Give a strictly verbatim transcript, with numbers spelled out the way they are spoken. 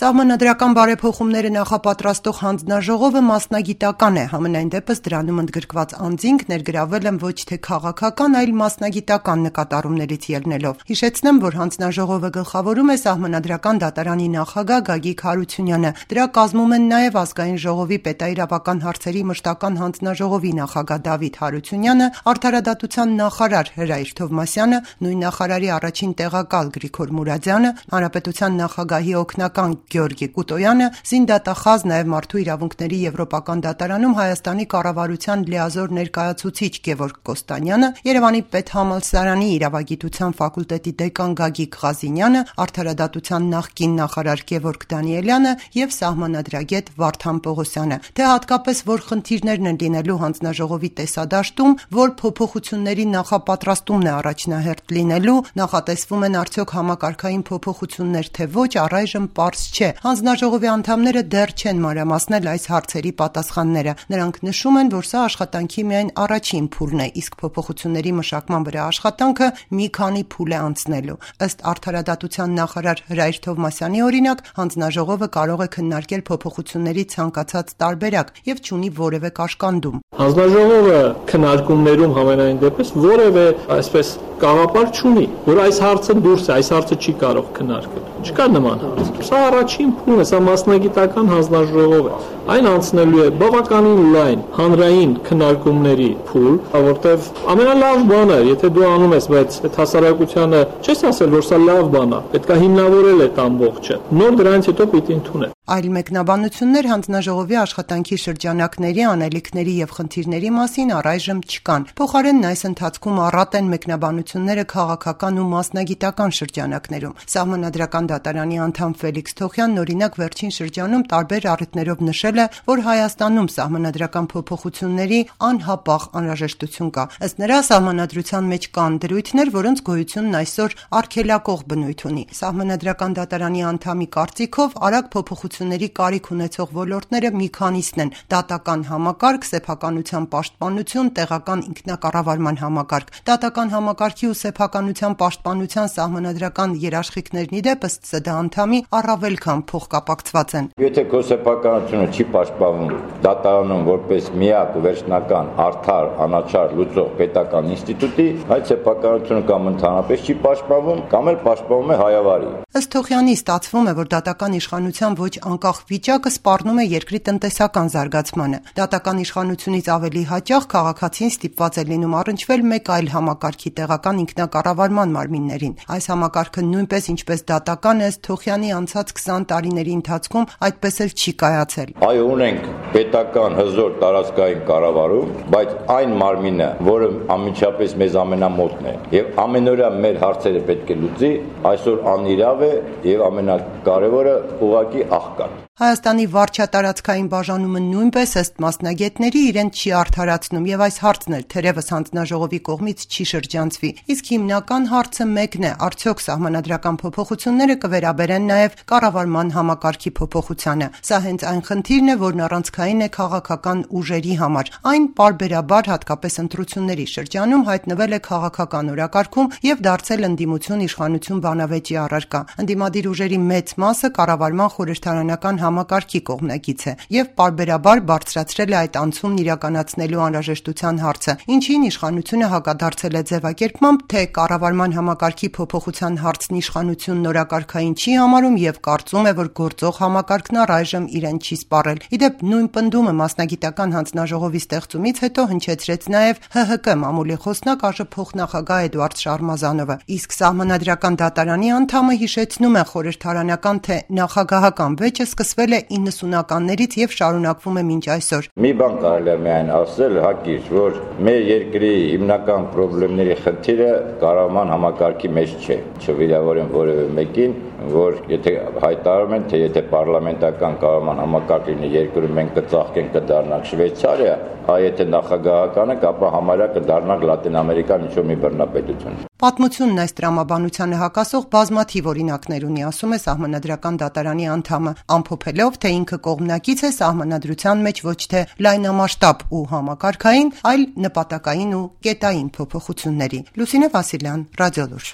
Սահմանադրական բարեփոխումները նախապատրաստող հանձնաժողովը մասնագիտական է, համենայն դեպս դրանում ընդգրկված անձինք ներգրավել են ոչ թե քաղաքական, այլ մասնագիտական նկատառումներից ելնելով։ Հիշեցնեմ, որ հանձնաժողովը գլխավորում է Սահմանադրական դատարանի նախագահ Գագիկ Հարությունյանը։ Դրա կազմում են նաև Ազգային ժողովի պետաիրավական հարցերի մշտական հանձնաժողովի նախագահ Դավիթ Հարությունյանը, Արդարադատության նախարար Հրայր Թովմասյանը, նույն նախարարի առաջին տեղակալ Գրիգոր Մուրադյանը, Հանրապետության նախագահի օգնական Գեորգի Կուտոյանը, զինդատախազ, նաև Մարդու իրավունքների եվրոպական դատարանում Հայաստանի կառավարության լիազոր ներկայացուցիչ Գևորգ Կոստանյանը, Երևանի պետհամալսարանի իրավագիտության ֆակուլտետի դեկան Գագիկ Ղազինյանը, Արդարադատության նախկին նախարար Գևորգ Դանիելյանը և սահմանադրագետ Վարդան Պողոսյանը։ Թե հատկապես որ խնդիրներն են լինելու հանձնաժողովի տեսադաշտում, որ փոփոխությունների նախապատրաստումն է առաջնահերթ լինելու, նախատեսվում են արդյոք համակարգային փոփոխություններ, թե ոչ, առայժմ պարզ չէ։ Հանձնաժողովի անդամները դեռ չեն մանրամասնել այս հարցերի պատասխանները։ Նրանք նշում են, որ սա աշխատանքի միայն առաջին փուլն է, իսկ փոփոխությունների մշակման վրա աշխատանքը մի քանի փուլ է անցնելու։ Ըստ Արդարադատության նախարար Հրայր Թովմասյանի օրինակ, հանձնաժողովը կարող է քննարկել փոփոխությունների ցանկացած տարբերակ եւ չունի որևէ կաշկանդում։ Հանձնաժողովը քննարկումներում համենայն դեպս որևէ այսպես կաղապար չունի, որ այս հարցը դուրս է, այս հարցը չի կարող քննարկել։ Չկա նման հարց։ Սա առաջին փուլն է, սա մասնագիտական հանձնաժողով է։ Այն անցնելու է բավականին լայն հանրային քննարկումների փուլ, որտեղ ամենալավ բանը, եթե դու անում ես, բայց այդ հասարակությանը չես ասել, որ սա լավ բան է, պետք է հիմնավորել այդ ամբողջը։ Նոր դրանից հետո պիտի ընդունել։ Այլ մեկնաբանություններ հանձնաժողովի աշխատանքի շրջանակների, անելիքների եւ խնդիրների մասին առայժմ չկան։ Փոխարենն այս ընթացքում առատ են մեկնաբանությունները քաղաքական ու մասնագիտական շրջանակներում։ Սահմանադրական դատարանի անդամ Ֆելիքս Թոխյանն օրինակ վերջին շրջանում տարբեր առիթներով նշել է, որ Հայաստանում սահմանադրական փոփոխությունների անհապաղ անհրաժեշտություն կա։ Ըստ նրա, սահմանադրության մեջ կան դրույթներ, որոնց գոյությունն այսօր արգելակող բնույթ ունի։ Սահմանադրական դատարանի անդամի կարծիքով արագ փոփոխությունների կարիք ունեցող ոլորտները մի քանիսն են՝ դատական համակարգ, սեփականության պաշտպանություն, տեղական ինքնակառավարման համակարգ։ Դատական համակարգի ու սեփականության պաշտպանության սահմանադրական երաշխիքներն ի դեպ ըստ ՍԴ անդամի առավել քան փոխկապակցված են։ Եթե քո սեփականությունը չի պաշտպանվում դատարանում որպես միակ վերջնական արդար, անաչառ լուծող պետական ինստիտուտի, այդ սեփականությունը կամ ընդհանրապես չի պաշտպանվում, կամ էլ պաշտպանվում է հայավարի։ Ըստ Թոխյանի ստացվում է, որ դատական իշխանության ոչ անկախ վիճակը սպառնում է երկրի տնտեսական զարգացմանը։ Դատական իշխանությունից ավելի հաճախ քաղաքացին ստիպված է լինում առնչվել մեկ այլ համակարգի տեղական ինքնակառավարման մարմիններին։ Այս համակարգը նույնպես ինչպես դատական է, ըստ Թոխյանի անցած քսան տարիների ընթացքում այդպես էլ չի կայացել։ Այո, ունենք պետական հզոր տարածքային կառավարում, բայց այն մարմինը, որը անմիջապես մեզ ամենամոտն է եւ ամենօրյա մեր հարցերը պետք է լուծի, այսօր անիրավ է եւ ամենակարևորը ուղղակի աղքատ։ Հայաստանի վարչատարածքային բաժանումը նույնպես ըստ մասնագետների իրեն չի արդարացնում եւ այս հարցն էլ թերևս հանձնաժողովի կողմից չի շրջանցվի։ Իսկ հիմնական հարցը մեկն է՝ արդյոք սահմանադրական փոփոխությունները կվերաբերեն նաեւ կառավարման համակարգի փոփոխությանը։ Սա հենց այն խնդիրն է, որն առանցքային է քաղաքական ուժերի համար։ Այն պարբերաբար, հատկապես ընտրությունների շրջանում, հայտնվել է քաղաքական օրակարգում եւ դարձել ընդդիմություն իշխանություն բանավեճի առարկա։ Ընդդիմադիր ուժերի մեծ մասը կառավարման խորհրդարանական համակարգի կողմնակից է եւ պարբերաբար բարձրացրել է այդ անցումն իրականացնելու անհրաժեշտության հարցը, ինչին իշխանությունը հակադարձել է ձևակերպմամբ, թե կառավարման համակարգի փոփոխության հարցն իշխանությունն օրակարգային չի համարում եւ կարծում է, որ գործող համակարգն առայժմ իրեն չի սպառել։ Իդեպ նույն պնդումը մասնագիտական հանձնաժողովի ստեղծումից հետո հնչեցրեց նաեւ Հ Հ Կ մամուլի խոսնակ ԱԺ փոխնախագահ Էդուարդ Շարմազանովը, իսկ Սահմանադրական դատարանի անդամը հիշեցնում է խորհրդարանական, թե նախագահական վեճը սկսվել է իննսունականներից եւ շարունակվում է մինչ այսօր։ Մի բան կարելի է միայն ասել հակիրճ, որ մեր երկրի հիմնական խնդիրների խնդիրը կառավարման համակարգի մեջ չէ։ Չվիրավորեմ որևէ մեկին, որ եթե հայտարարում են, թե եթե պարլամենտական կառավարման համակարգ լինի երկրում, մենք կծաղկենք, կդառնանք Շվեյցարիա, այ եթե նախագահականը, ապա համարյա կդառնանք Լատին Ամերիկան ինչ-որ մի բռնապետություն։ Պատմությունն այս տրամաբանությանը հակասող բազմաթիվ օրինակներ ունի, ասում է Սահմանադրական դատարանի անդամը, ամփոփելով, թե ինքը կողմնակից է սահմանադրության մեջ ոչ թե լայնամասշտաբ ու համակարգային, այլ նպատակային ու կետային փոփոխությունների։ Լուսինե Վասիլյան, Ռադիոլուր։